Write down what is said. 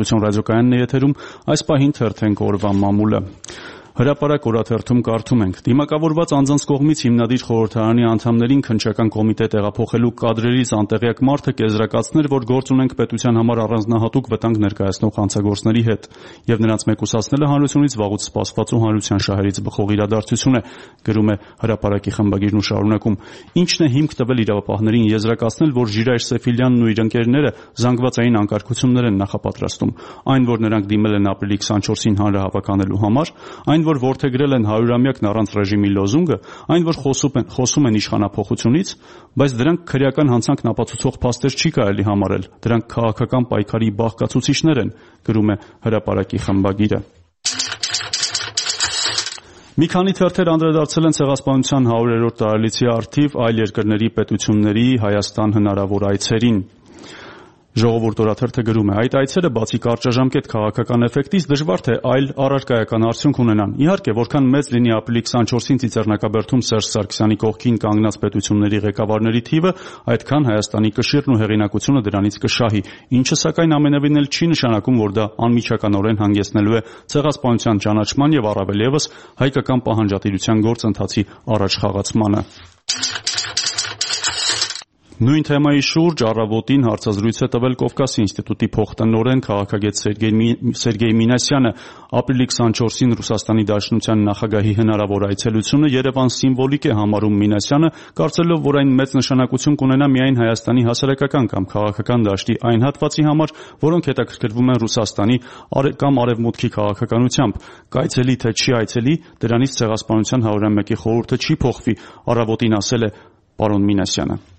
Ռադիոկայանն է եթերում, այս պահին թերթենք օրվա մամուլը։ Հրապարակ օրաթերթում կարդում ենք. դիմակավորված անձանց կողմից հիմնադիր խորհրդարանի անդամներին քննչական կոմիտե տեղափոխելու կադրերից անտեղյակ մարդը կեզրակացներ, որ գործ ունենք պետության համար առանձնահատուկ վտանգ ներկայացնող հանցագործների հետ, եւ նրանց մեկուսացնելը հանրությունից վաղուց սպասված ու հանրության շահերից բխող իրադարձություն է, գրում է Հրապարակի խմբագիրն ու շարունակում. ինչն է հիմք տվել իրավապահներին եզրակացնել, որ Ժիրայր Սեֆիլյանն ու իր ընկերները զանգվածային անկարգություններ են նախապատրաստում, այն, որ նրանք դիմել են ապրիլի 24-ին հանրահավաք անելու համար, այն, որ որդեգրել են 100-ամյակն առանց ռեժիմի լոզունգը, այն, որ խոսում են իշխանափոխությունից, բայց դրանք քրեական հանցանքն ապացուցող փաստեր չի կարելի համարել, դրանք քաղաքական պայքարի բաղկացուցիչներ են, գրում է Հրապարակի խմբագիրը։ Մի քանի թերթեր անդրադարձել են Ցեղասպանության 100-րդ տարելիցի առթիվ այլ երկրների պետությունների Հայաստան հնարավոր այցերին։ Ժողովուրդ օրաթերթը գրում է. այդ այցերը բացի կարճաժամկետ քաղաքական էֆեկտից դժվար թե այլ առարկայական արդյունք ունենան։ Իհարկե, որքան մեծ լինի ապրիլի 24-ին Ծիծեռնակաբերդում Սերժ Սարգսյանի կողքին կանգնած պետությունների ղեկավարների թիվը, այդքան Հայաստանի կշիռն ու հեղինակությունը դրանից կշահի, ինչը սակայն ամենևին էլ չի նշանակում, որ դա անմիջականորեն հանգեցնելու է ցեղասպանության ճանաչման եւ առավել եւս հայկական պահանջատիրության գործընթացի առաջ խաղացմանը։ Նույն թեմայի շուրջ առավոտին հարցազրույց է տվել Կովկասի ինստիտուտի փոխտնօրեն քաղաքագետ Սերգեյ Մինասյանը։ Ապրիլի 24-ին Ռուսաստանի Դաշնության նախագահի հնարավոր այցելությունը Երևան սիմվոլիկ է համարում Մինասյանը, կարծելով, որ այն մեծ նշանակություն կունենա միայն Հայաստանի հասարակական կամ քաղաքական դաշտի այն հատվածի համար, որոնք հետաքրքրվում են Ռուսաստանի կամ Արևմուտքի քաղաքականությամբ։ Կայցելի թե չի այցելի, դրանից Ցեղասպանության 101-ի խորհուրդը չի փոխվի, առավոտին ասել է պարոն Մինասյանը։